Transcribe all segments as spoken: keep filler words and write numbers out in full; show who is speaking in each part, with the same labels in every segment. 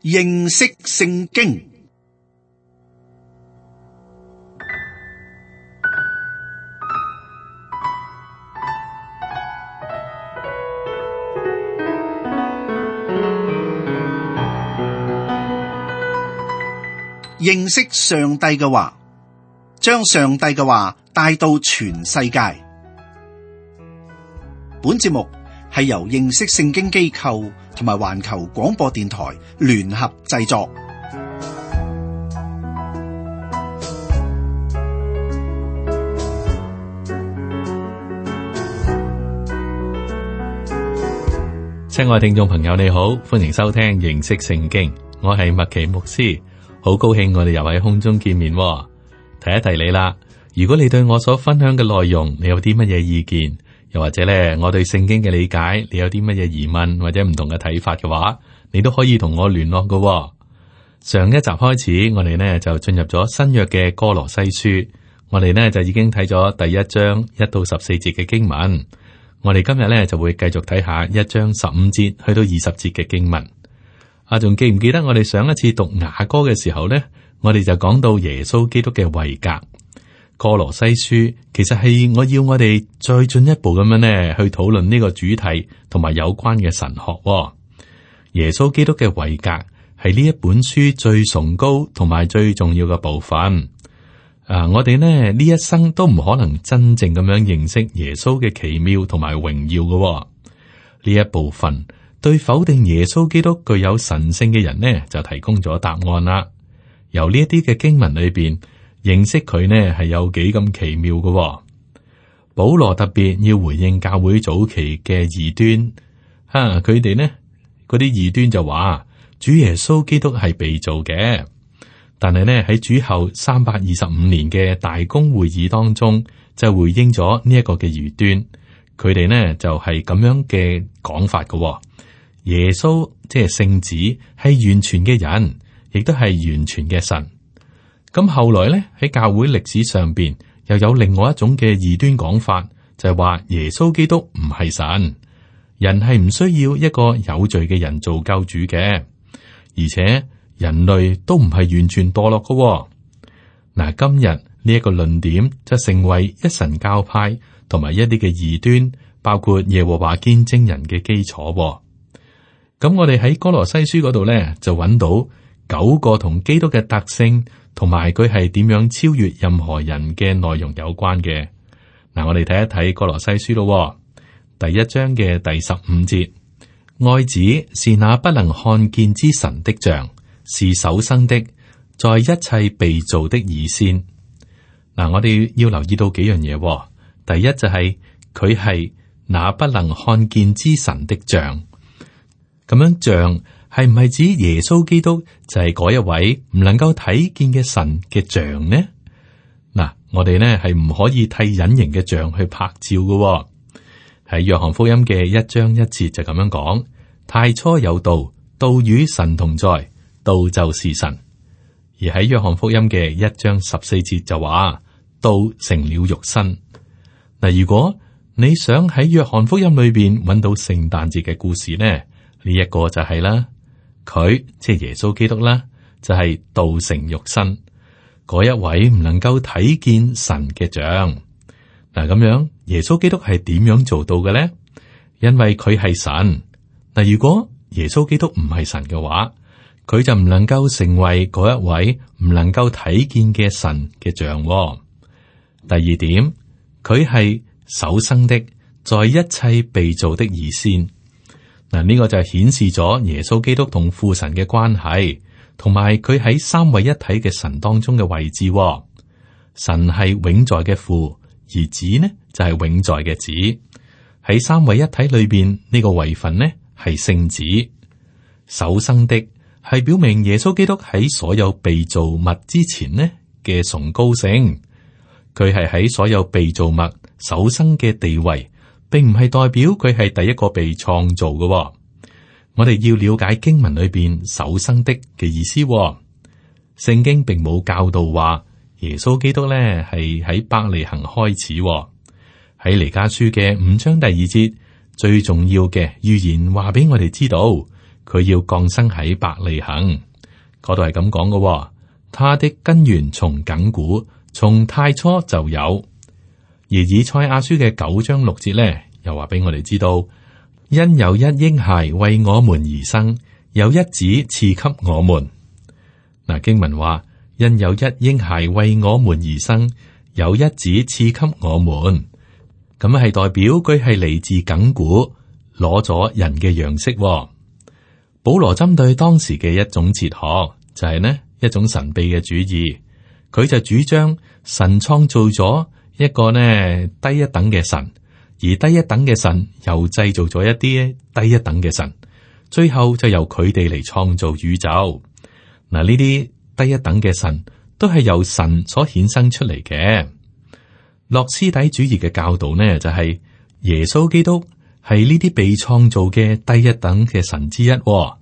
Speaker 1: 認識聖經。認識上帝嘅話，將上帝嘅話帶到全世界。本節目係由認識聖經機構同埋環球廣播電台聯合製作。
Speaker 2: 親愛聽眾朋友，你好，歡迎收聽認識聖經，我係麥奇牧師。好高興我哋又喺空中見面，提一提你啦。如果你對我所分享嘅內容，你有啲乜嘢意見，又或者咧我對聖經嘅理解，你有啲乜嘢疑問或者唔同嘅睇法嘅話，你都可以同我聯絡㗎。上一集開始，我哋呢就進入咗新約嘅歌羅西書，我哋呢就已經睇咗第一章一到十四節嘅經文。我哋今日呢就會繼續睇下一章十五節去到二十節嘅經文。啊，仲記唔記得我哋上一次讀雅歌嘅時候呢？我哋就講到耶穌基督嘅位格。歌羅西書其實係我要我哋再進一步咁樣呢去討論呢個主題同埋有關嘅神學。耶穌基督嘅位格係呢一本書最崇高同埋最重要嘅部分。啊，我哋呢呢一生都唔可能真正咁樣認識耶穌嘅奇妙同埋榮耀嘅呢一部分。對否定耶穌基督具有神性嘅人呢，就提供咗答案啦。由呢一啲嘅經文裏邊認識佢呢，係有幾咁奇妙嘅、哦。保羅特別要回應教會早期嘅異端，吓佢哋呢嗰啲異端就話主耶穌基督係被造嘅，但係呢喺主後三百二十五年嘅大公會議當中就回應咗呢一個嘅異端，佢哋呢就係咁樣嘅講法嘅、哦。耶穌即係聖子，係完全嘅人，亦都係完全嘅神。咁後來咧喺教會歷史上邊又有另外一種嘅異端講法，就係話耶穌基督唔係神，人係唔需要一個有罪嘅人做救主嘅，而且人類都唔係完全墮落嘅。嗱，今日呢一個論點就成為一神教派同埋一啲嘅異端，包括耶和華見證人嘅基礎。咁我哋喺歌羅西書嗰度咧，就揾到九個同基督嘅特性，同埋佢係點樣超越任何人嘅內容有關嘅。嗱，我哋睇一睇歌羅西書咯，第一章嘅第十五節，愛子是那不能看見之神的像，是首生的，在一切被造的以先。嗱，我哋要留意到幾樣嘢。第一就係佢係那不能看見之神的像。咁樣像係唔係指耶穌基督就係嗰一位唔能夠睇見嘅神嘅像呢？嗱，我哋呢係唔可以替隱形嘅像去拍照嘅。喺約翰福音嘅一章一節就咁樣講：太初有道，道與神同在，道就是神。而喺約翰福音嘅一章十四節就話：道成了肉身。嗱，如果你想喺約翰福音裏邊揾到聖誕節嘅故事呢？呢一個就係啦，佢即係耶穌基督啦，就係、是、道成肉身嗰一位唔能夠睇見神嘅像。嗱，咁樣耶穌基督係點樣做到嘅咧？因為佢係神。嗱，如果耶穌基督唔係神嘅話，佢就唔能夠成為嗰一位唔能夠睇見嘅神嘅像。第二點，佢係首生的，在一切被造的以先。嗱，呢個就係顯示咗耶穌基督同父神嘅關係，同埋佢喺三位一體嘅神當中嘅位置。神係永在嘅父，而子呢就係永在嘅子。喺三位一體裏邊，呢個位份呢係聖子。首生的係表明耶穌基督喺所有被造物之前呢嘅崇高性，佢係喺所有被造物首生嘅地位。並唔係代表佢係第一個被創造嘅。我哋要了解經文裏邊首生的嘅意思。聖經並冇教導話耶穌基督咧係喺伯利恆開始。喺彌迦書嘅五章第二節，最重要嘅預言話俾我哋知道，佢要降生喺伯利恆，嗰度係咁講嘅。他的根源從亙古，從太初就有。而以賽亞書嘅九章六節咧，又話俾我哋知道，因有一嬰孩為我們而生，有一子賜給我們。嗱，經文話，因有一嬰孩為我們而生，有一子賜給我們。咁係代表佢係嚟自亙古，攞咗人嘅樣式。保羅針對當時嘅一種哲學，就係呢一種神秘嘅主義，佢就主張神創造咗一個呢低一等嘅神，而低一等嘅神又製造咗一啲低一等嘅神，最後就由佢哋嚟創造宇宙。嗱，呢啲低一等嘅神都係由神所衍生出嚟嘅。諾斯底主義嘅教導呢，就係、是、耶穌基督係呢啲被創造嘅低一等嘅神之一、哦，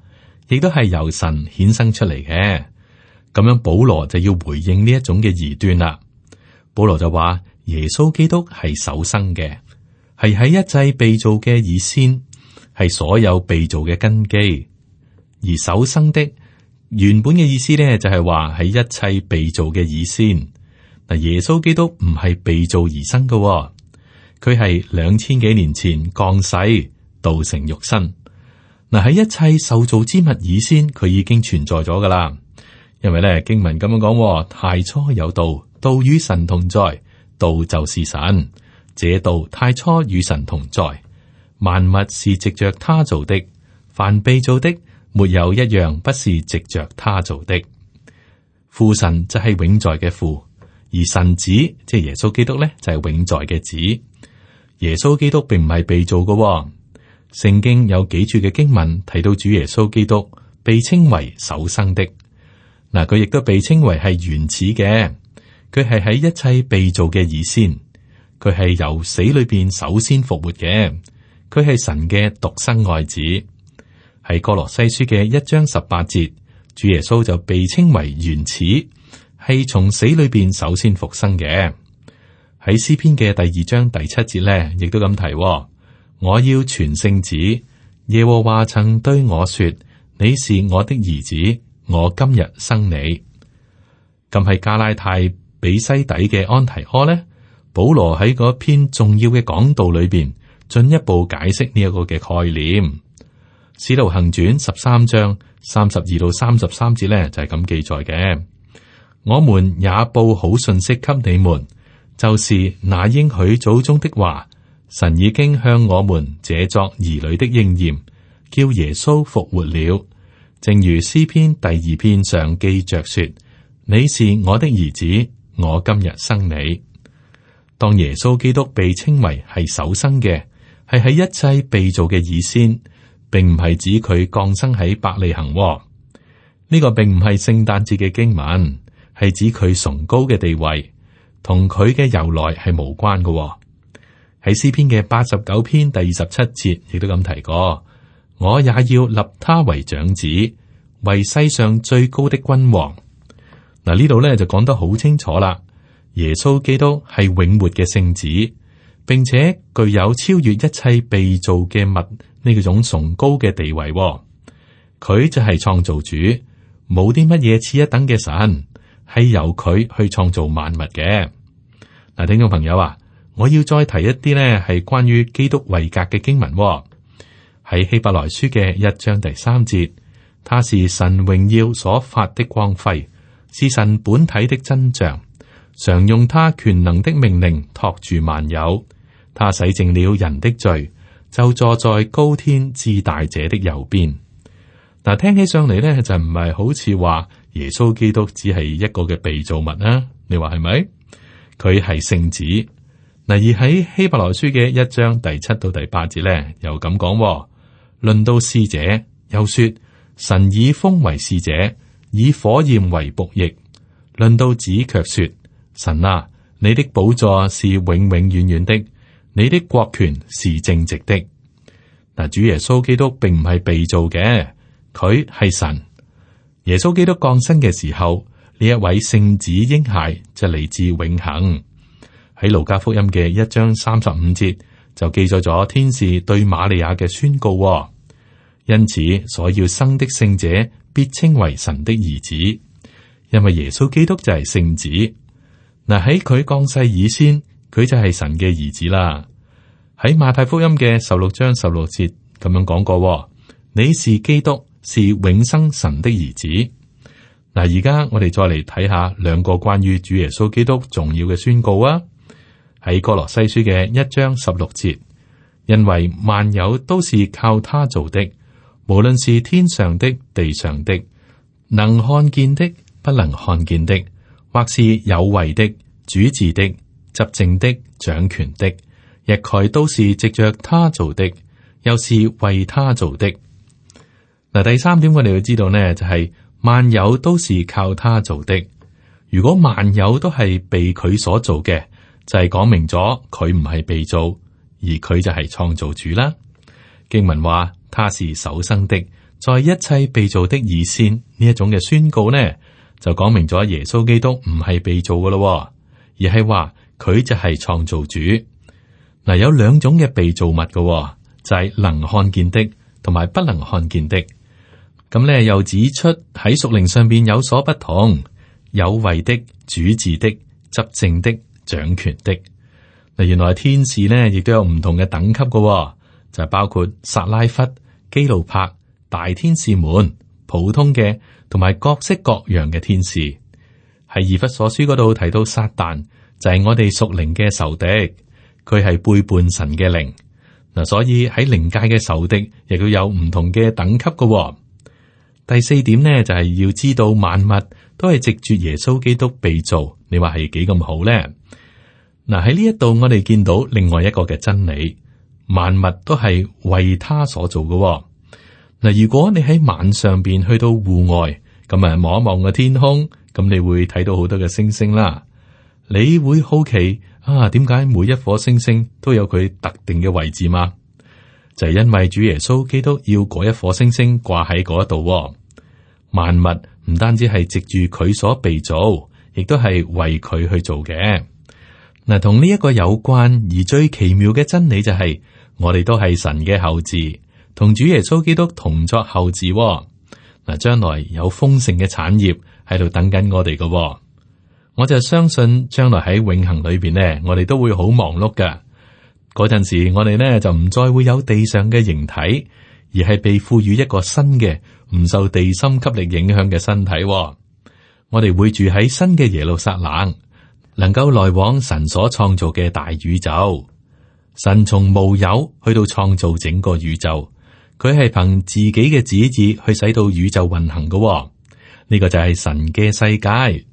Speaker 2: 亦都係由神衍生出嚟嘅。咁樣保羅就要回應呢一種嘅異端啦。保羅就話耶穌基督係首生嘅，係喺一切被造嘅以先，係所有被造嘅根基。而首生的原本嘅意思呢，就係話喺一切被造嘅以先。嗱，耶穌基督唔係被造而生嘅、哦，佢係兩千幾年前降世，道成肉身。嗱，喺一切受造之物以先，佢已經存在咗噶啦。因為咧經文咁樣講，太初有道，道與神同在，道就是神。這道太初與神同在，萬物是藉着他造的，凡被造的，沒有一樣不是藉着他造的。父神就係永在嘅父。而神子即係耶穌基督咧，就係永在嘅子。耶穌基督並唔係被造嘅、哦。聖經有幾處嘅經文提到主耶穌基督被稱為首生的。嗱，佢亦都被稱為係原始嘅。佢係喺一切被造嘅以先，佢係由死裏邊首先復活嘅。佢係神嘅獨生愛子。喺哥羅西書嘅一章十八節，主耶穌就被稱為原始。係從死裏邊首先復生嘅。喺詩篇嘅第二章第七節咧，亦都咁提、哦：我要傳聖旨。耶和華曾對我說：你是我的兒子，我今日生你。咁係加拉太比西底嘅安提阿呢，保羅喺嗰篇重要嘅講道裏邊，進一步解釋呢一個嘅概念。使徒行傳十三章三十二到三十三節咧，就係、是、咁記載嘅。我們也報好信息給你們，就是那應許祖宗的話，神已經向我們這作兒女的應驗，叫耶穌復活了。正如詩篇第二篇上記着說：你是我的兒子，我今日生你。當耶穌基督被稱為係首生嘅，係喺一切被造嘅以先，並唔係指佢降生喺伯利恆。呢、這個並唔係聖誕節嘅經文。係指佢崇高嘅地位，同佢嘅由來係無關嘅、哦。喺詩篇嘅八十九篇第二十七節，亦都咁提過：我也要立他為長子，為世上最高的君王。嗱，呢度咧就講得好清楚啦。耶穌基督係永活嘅聖子，並且具有超越一切被造嘅物呢個種崇高嘅地位、哦。佢就係創造主，冇啲乜嘢次一等嘅神。係由佢去創造萬物嘅。嗱，聽眾朋友啊，我要再提一啲呢係關於基督位格嘅經文喎、哦。喺希伯來書嘅一章第三節，他是神榮耀所發的光輝，是神本體的真像，常用他權能的命令托住萬有。他洗淨了人的罪，就坐在高天至大者的右邊。嗱，聽起上嚟呢，就唔係好似話耶穌基督只係一個嘅被造物啊？你話係咪？佢係聖子。嗱，而喺希伯來書嘅一章第七到第八節咧，又咁講：論到使者，又說神以風為使者，以火焰為僕役。論到子，卻說神啊，你的寶座是永永遠遠的，你的國權是正直的。嗱，主耶穌基督並唔係被造嘅。佢係神。耶穌基督降生嘅時候，呢一位聖子嬰孩就嚟自永恆。喺路加福音嘅一章三十五節就記載咗天使對瑪利亞嘅宣告。因此所要生的聖者必稱為神的兒子，因為耶穌基督就係聖子。嗱，喺佢降世以先，佢就係神嘅兒子啦。喺馬太福音嘅十六章十六節咁樣講過，你是基督，是永生神的兒子。嗱，而家我哋再嚟睇下兩個關於主耶穌基督重要嘅宣告啊。喺哥羅西書嘅一章十六節，因為萬有都是靠他做的，無論是天上的、地上的，能看見的、不能看見的，或是有位的、主治的、執政的、掌權的，一概都是藉着他做的，又是為他做的。嗱，第三點我哋要知道呢，就係、是、萬有都是靠他做的。如果萬有都係被佢所做嘅，就係、是、講明咗佢唔係被造，而佢就係創造主啦。經文話他是首生的，在一切被造的以先，呢一種嘅宣告呢，就講明咗耶穌基督唔係被造噶咯，而係話佢就係創造主。嗱，有兩種嘅被造物噶，就係、是、能看見的同埋不能看見的。咁咧又指出喺屬靈上邊有所不同，有位的、主治的、執政的、掌權的。嗱，原來天使呢亦都有唔同嘅等級噶，就係包括撒拉弗、基路柏、大天使們、普通嘅同埋各式各樣嘅天使。喺以弗所書嗰度提到撒旦就係我哋屬靈嘅仇敵，佢係背叛神嘅靈。嗱，所以喺靈界嘅仇敵亦都有唔同嘅等級噶。第四點呢，就係、是、要知道萬物都係藉住耶穌基督被造，你話係幾咁好呢？嗱，喺呢一度我哋見到另外一個嘅真理，萬物都係為他所做嘅。嗱，如果你喺晚上邊去到戶外，咁啊望一望個天空，咁你會睇到好多嘅星星啦。你會好奇啊，點解每一顆星星都有佢特定嘅位置嘛？就係、是、因為主耶穌基督要嗰一顆星星掛喺嗰度。萬物唔單止係藉住佢所被造，亦都係為佢去做嘅。嗱，同呢一個有關而最奇妙嘅真理就係、是，我哋都係神嘅後嗣，同主耶穌基督同作後嗣。嗱，將來有豐盛嘅產業喺度等緊我哋嘅。我就相信將來喺永恆裏邊呢，我哋都會好忙碌噶。嗰陣時，我哋呢就唔再會有地上嘅形體，而係被賦予一個新嘅，唔受地心吸力影響嘅身體。我哋會住喺新嘅耶路撒冷，能夠來往神所創造嘅大宇宙。神從無有去到創造整個宇宙，佢係憑自己嘅旨意去使到宇宙運行嘅。呢個就係神嘅世界。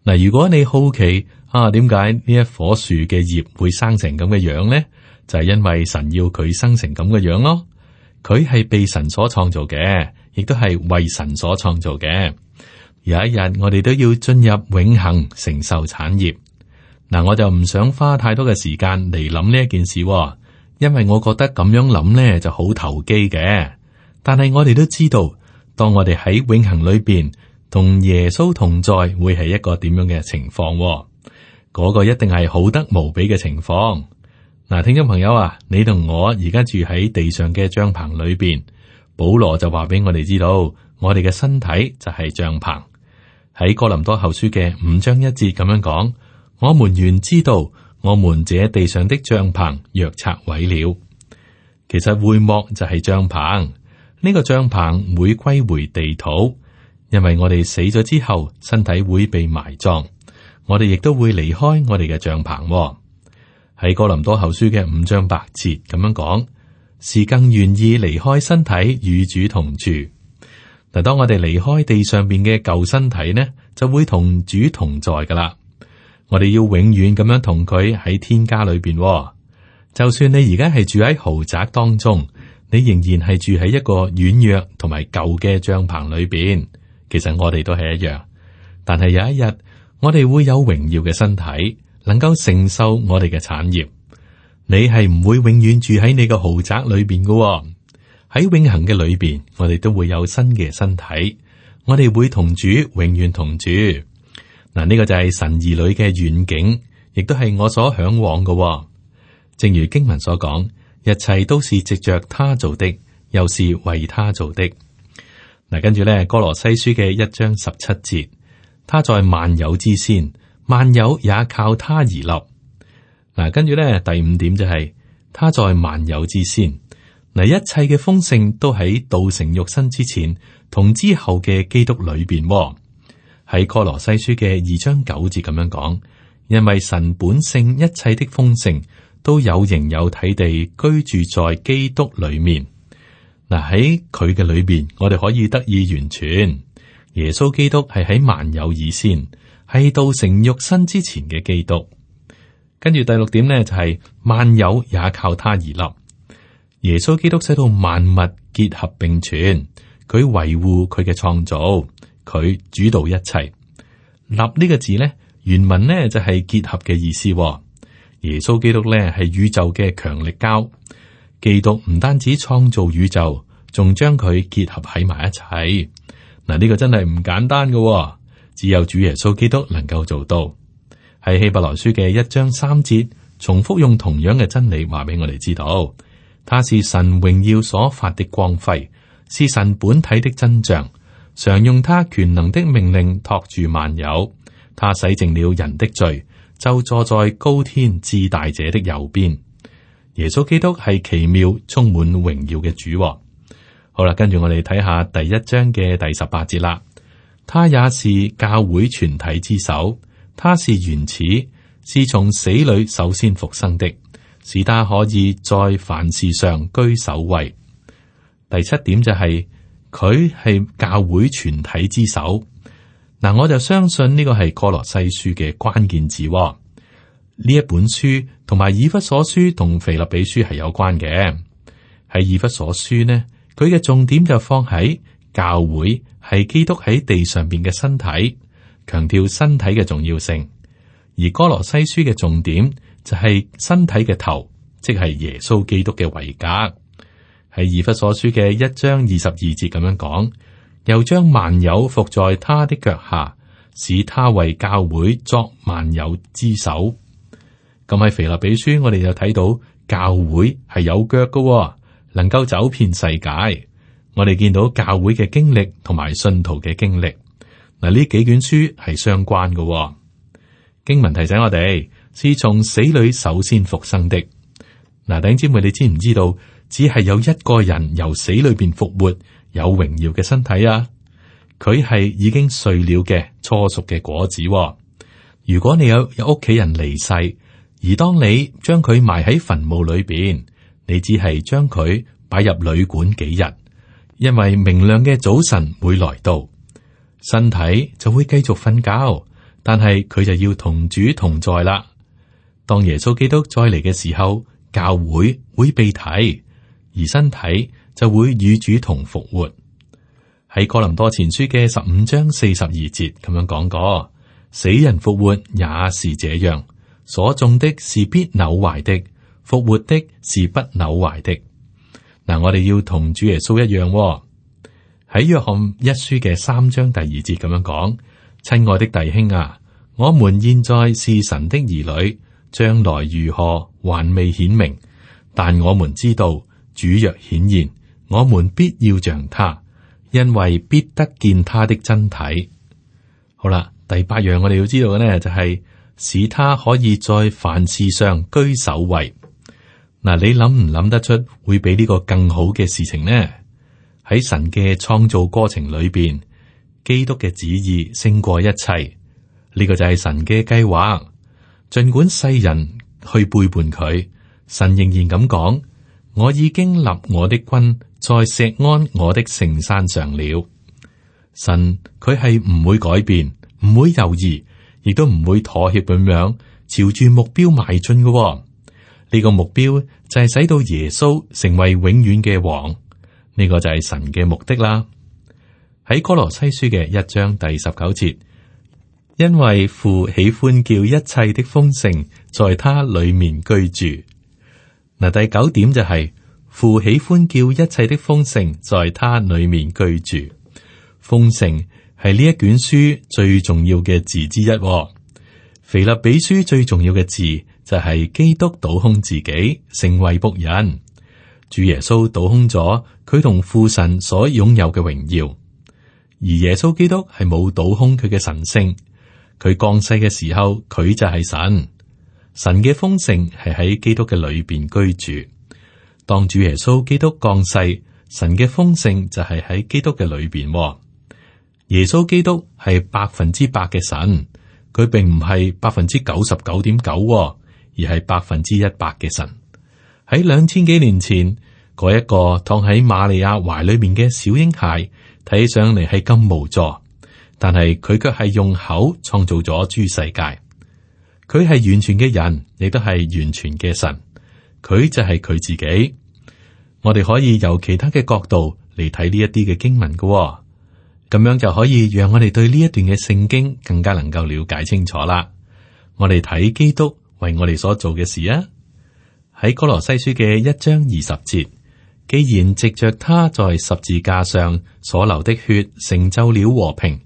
Speaker 2: 嗱，如果你好奇啊，點解呢一棵樹嘅葉會生成咁嘅樣呢？就係因為神要佢生成咁嘅樣咯。佢係被神所創造嘅，亦都係為神所創造嘅。有一日我哋都要進入永恆，承受產業。嗱，我就唔想花太多嘅時間嚟諗呢一件事，因為我覺得咁樣諗呢就好投機嘅。但係我哋都知道，當我哋喺永恆裏邊同耶穌同在，會係一個點樣嘅情況？嗰個一定係好得無比嘅情況。嗱，聽眾朋友啊，你同我而家住喺地上嘅帳篷裏邊，保羅就話俾我哋知道，我哋嘅身體就係帳篷。喺哥林多後書嘅五章一節咁樣講，我們原知道，我們這地上的帳篷若拆毀了。其實會幕就係帳篷，呢個帳篷會歸回地土，因為我哋死咗之後，身體會被埋葬，我哋亦都會離開我哋嘅帳篷。喺哥林多後書嘅五章八節咁樣講，是更願意離開身體與主同住。嗱，當我哋離開地上邊嘅舊身體呢，就會同主同在噶啦。我哋要永遠咁樣同佢喺天家裏邊。就算你而家係住喺豪宅當中，你仍然係住喺一個軟弱同埋舊嘅帳篷裏邊。其實我哋都係一樣，但係有一日我哋會有榮耀嘅身體，能夠承受我哋嘅產業。你係唔會永遠住喺你個豪宅裏邊噶。喺永恆嘅裏邊，我哋都會有新嘅身體，我哋會同主永遠同住。嗱，呢個就係神兒女嘅遠景，亦都係我所向往嘅。正如經文所講，一切都是藉着他做的，又是為他做的。嗱，跟住咧，歌羅西書嘅一章十七節，他在萬有之先，萬有也靠他而立。嗱，跟住咧，第五點就係、是、他在萬有之先。嗱，一切嘅豐盛都喺道成肉身之前同之後嘅基督裏邊。喺歌羅西書嘅二章九節咁樣講，因為神本性一切的豐盛都有形有體地居住在基督裏面。嗱，喺佢嘅裏邊，我哋可以得以完全。耶穌基督係喺萬有以先，係道成肉身之前嘅基督。跟住第六點呢，就係、是、萬有也靠他而立。耶穌基督使到萬物結合並存，佢維護佢嘅創造，佢主導一切。立呢個字呢，原文呢就係結合嘅意思。耶穌基督呢係宇宙嘅強力膠，基督唔單止創造宇宙，仲將佢結合喺埋一齊。嗱，呢個真係唔簡單嘅，只有主耶穌基督能夠做到。喺希伯來書嘅一章三節，重複用同樣嘅真理話俾我哋知道。他是神榮耀所發的光輝，是神本體的真像，常用他權能的命令托住萬有。他洗淨了人的罪，就坐在高天至大者的右邊。耶穌基督係奇妙充滿榮耀嘅主。好啦，跟住我哋睇下第一章嘅第十八節啦。他也是教會全體之首，他是原始，是從死裏首先復生的。使他可以在凡事上居首位。第七點就係佢係教會全體之首。嗱，我就相信呢個係歌羅西書嘅關鍵字。呢一本書同埋以弗所書同腓立比書係有關嘅。喺以弗所書呢，佢嘅重點就放喺教會係基督喺地上邊嘅身體，強調身體嘅重要性。而歌羅西書嘅重點就係身體嘅頭，即係耶穌基督嘅位格。喺以弗所書嘅一章二十二節咁樣講，又將萬有伏在他的腳下，使他為教會作萬有之首。咁喺腓立比書，我哋就睇到教會係有腳嘅，能夠走遍世界。我哋見到教會嘅經歷同埋信徒嘅經歷。嗱，呢幾卷書係相關嘅。經文提醒我哋，是從死裏首先復生的。嗱，弟兄姊妹，你知唔知道，只係有一個人由死裏邊復活，有榮耀嘅身體啊？佢係已經碎了嘅初熟嘅果子。如果你有有屋企人離世，而當你將佢埋喺墳墓裏邊，你只係將佢擺入旅館幾日，因為明亮嘅早晨會來到，身體就會繼續瞓覺。但係佢就要同主同在啦。當耶穌基督再嚟嘅時候，教會會被提，而身體就會與主同復活。喺哥林多前書嘅十五章四十二節咁樣講過，死人復活也是這樣，所種的是必朽壞的，復活的是不朽壞的。嗱，我哋要同主耶穌一樣喎。喺約翰一書嘅三章第二節咁樣講。親愛的弟兄啊，我們現在是神的兒女，將來如何還未顯明，但我們知道主若顯現，我們必要像他，因為必得見他的真體。好啦，第八樣我哋要知道嘅呢，就係、是、使他可以在凡事上居首位。嗱，你諗唔諗得出會比呢個更好嘅事情呢？喺神嘅創造過程裏邊，基督嘅旨意勝過一切，呢、這個就係神嘅計劃。盡管世人去背叛佢，神仍然咁講：我已經立我的君在錫安我的聖山上了。神佢係唔會改變，唔會猶豫，亦都唔會妥協咁樣朝住目標邁進嘅、哦。呢、這個目標就係使到耶穌成為永遠嘅王，呢、這個就係神嘅目的啦。喺歌羅西書嘅一章第十九節，因為父喜歡叫一切的豐盛在他裏面居住。嗱，第九點就係、是、父喜歡叫一切的豐盛在他裏面居住。豐盛係呢一卷書最重要嘅字之一、哦。腓立比書最重要嘅字就係基督倒空自己，成為僕人。主耶穌倒空咗佢同父神所擁有嘅榮耀，而耶穌基督係冇倒空佢嘅神性。佢降世嘅時候，佢就係神。神嘅豐盛係喺基督嘅裏邊居住。當主耶穌基督降世，神嘅豐盛就係喺基督嘅裏邊。耶穌基督係百分之百嘅神，佢並唔係百分之九十九點九，而係百分之一百嘅神。喺兩千幾年前，嗰一個躺喺瑪利亞懷裏面嘅小嬰孩，睇起上嚟係咁無助，但係佢卻係用口創造咗諸世界。佢係完全嘅人，亦都係完全嘅神。佢就係佢自己。我哋可以由其他嘅角度嚟睇呢一啲嘅經文嘅、哦，咁樣就可以讓我哋對呢一段嘅聖經更加能夠了解清楚啦。我哋睇基督為我哋所做嘅事啊，喺哥羅西書嘅一章二十節，既然藉着他在十字架上所流的血成就了和平，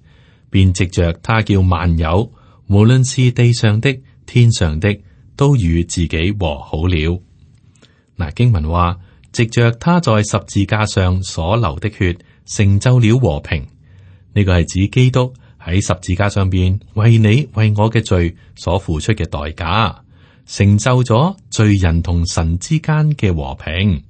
Speaker 2: 便藉着他叫萬有，無論是地上的、天上的，都與自己和好了。嗱，經文話，藉着他在十字架上所流的血成就了和平，呢個係指基督喺十字架上邊為你為我嘅罪所付出嘅代價，成就咗罪人同神之間嘅和平。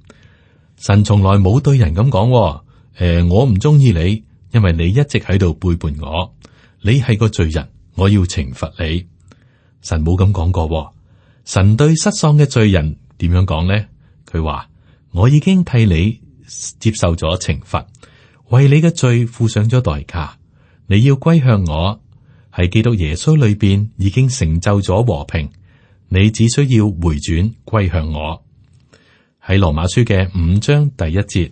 Speaker 2: 神從來冇對人咁講，誒、呃，我唔中意你，因為你一直喺度背叛我，你係個罪人，我要懲罰你。神冇咁講過。神對失喪嘅罪人點樣講呢？佢話，我已經替你接受咗懲罰，為你嘅罪付上咗代價。你要歸向我，喺基督耶穌裏邊已經成就咗和平。你只需要回轉歸向我。喺羅馬書嘅五章第一節，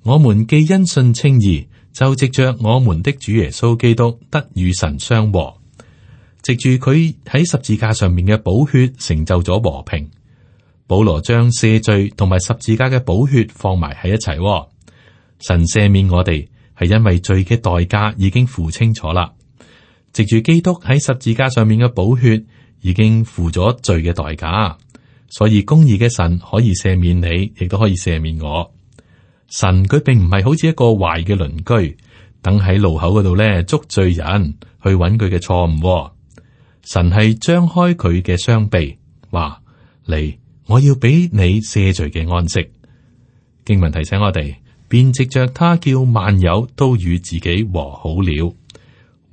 Speaker 2: 我們既因信稱義，就藉着我們的主耶穌基督得與神相和。藉住佢喺十字架上面嘅寶血成就咗和平。保羅將赦罪同埋十字架嘅寶血放埋喺一齊。神赦免我哋係因為罪嘅代價已經付清楚啦。藉住基督喺十字架上面嘅寶血已經付咗罪嘅代價，所以公義嘅神可以赦免你，亦都可以赦免我。神佢並唔係好似一個壞嘅鄰居，等喺路口嗰度咧捉罪人去揾佢嘅錯誤。神係張開佢嘅雙臂，話嚟，我要俾你赦罪嘅安息。經文提醒我哋，便藉着他叫萬有都與自己和好了。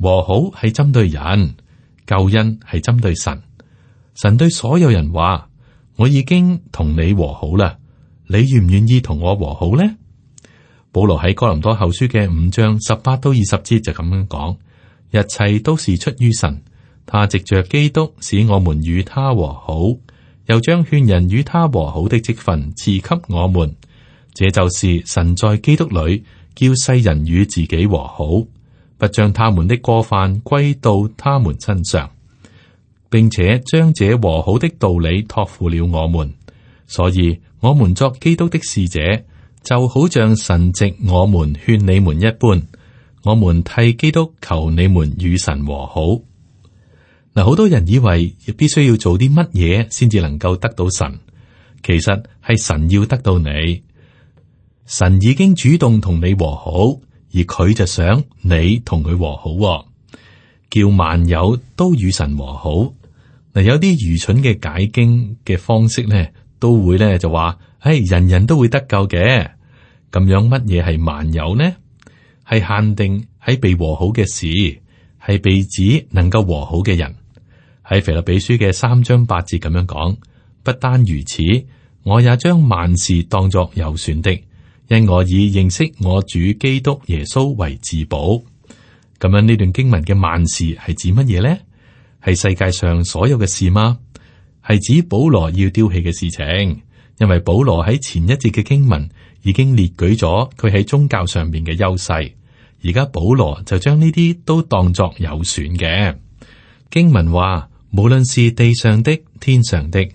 Speaker 2: 和好係針對人，救恩係針對神。神對所有人話，我已經同你和好啦，你願唔願意同我和好呢？保羅喺哥林多後書嘅五章十八到二十節就咁樣講，一切都是出於神，他藉着基督使我們與他和好，又將勸人與他和好的職分賜給我們。這就是神在基督裏叫世人與自己和好，不將他們的過犯歸到他們身上，並且將這和好的道理託付了我們。所以我們作基督的使者，就好像神藉我們勸你們一般，我們替基督求你們與神和好。嗱，好多人以為必須要做啲乜嘢先至能夠得到神，其實係神要得到你。神已經主動同你和好，而佢就想你同佢和好，叫萬有都與神和好。嗱，有啲愚蠢嘅解經嘅方式咧，都會咧就話，唉，人人都會得救嘅。咁樣乜嘢係萬有呢？係限定喺被和好嘅事，係被指能夠和好嘅人。喺腓立比書嘅三章八節咁樣講，不單如此，我也將萬事當作有損的，因我以認識我主基督耶穌為至寶。咁樣呢段經文嘅萬事係指乜嘢呢？係世界上所有嘅事嗎？係指保羅要丟棄嘅事情，因為保羅喺前一節嘅經文已經列舉咗佢喺宗教上面嘅優勢，而家保羅就將呢啲都當作有損嘅。經文話，無論是地上的、天上的，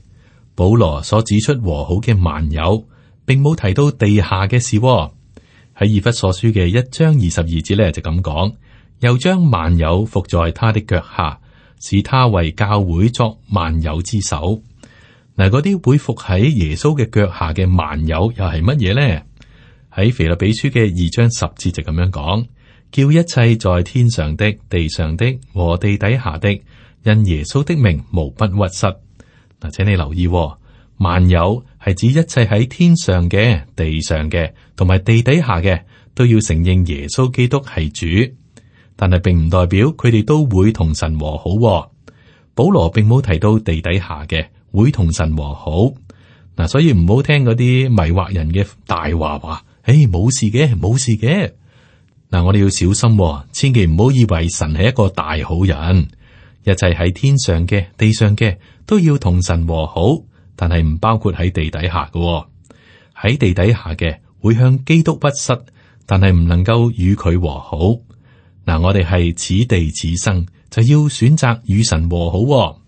Speaker 2: 保羅所指出和好嘅萬有，並冇提到地下嘅事。喺以弗所書嘅一章二十二節咧就咁講，又將萬有伏在他的腳下，使他為教會作萬有之首。嗱，嗰啲會伏喺耶穌嘅腳下嘅萬有又係乜嘢呢？喺腓立比書嘅二章十節就咁樣講，叫一切在天上的、地上的和地底下的，因耶穌的名無不屈膝。嗱，請你留意，萬有係指一切喺天上嘅、地上嘅同埋地底下嘅，都要承認耶穌基督係主。但係並唔代表佢哋都會同神和好。保羅並冇提到地底下嘅會同神和好。嗱，所以唔好聽嗰啲迷惑人嘅大話，話誒冇事嘅，冇事嘅。嗱，我哋要小心，千祈唔好以為神係一個大好人。一切喺天上嘅、地上嘅都要同神和好，但係唔包括喺地底下嘅。喺地底下嘅會向基督屈膝，但係唔能夠與佢和好。嗱，我哋係此地此生，就要選擇與神和好。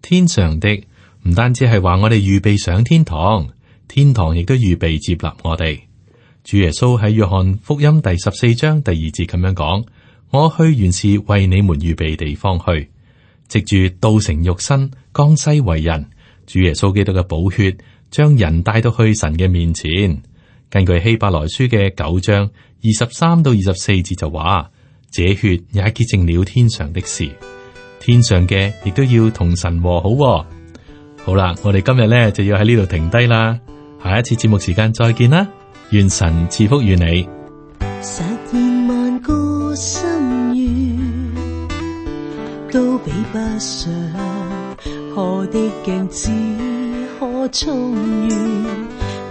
Speaker 2: 天上的唔單止係話我哋預備上天堂，天堂亦都預備接納我哋。主耶穌喺約翰福音第十四章第二節咁樣講：我去原是為你們預備地方去。藉住道成肉身，降世為人，主耶穌基督嘅寶血將人帶到去神嘅面前。根據希伯來書嘅九章二十三到二十四節就話：這血也潔淨了天上的事，天上嘅亦都要同神和好。好啦，我哋今日咧就要喺呢度停低啦，下一次節目時間再見啦，願神賜福於你。
Speaker 3: 實現萬個心願，都比不上何的鏡子可充裕。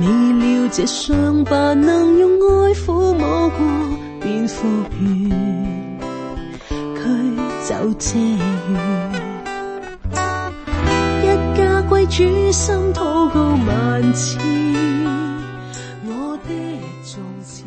Speaker 3: 未料這傷疤能用愛撫摸過便復原，佢就這樣一家歸主心禱告萬次，我的從前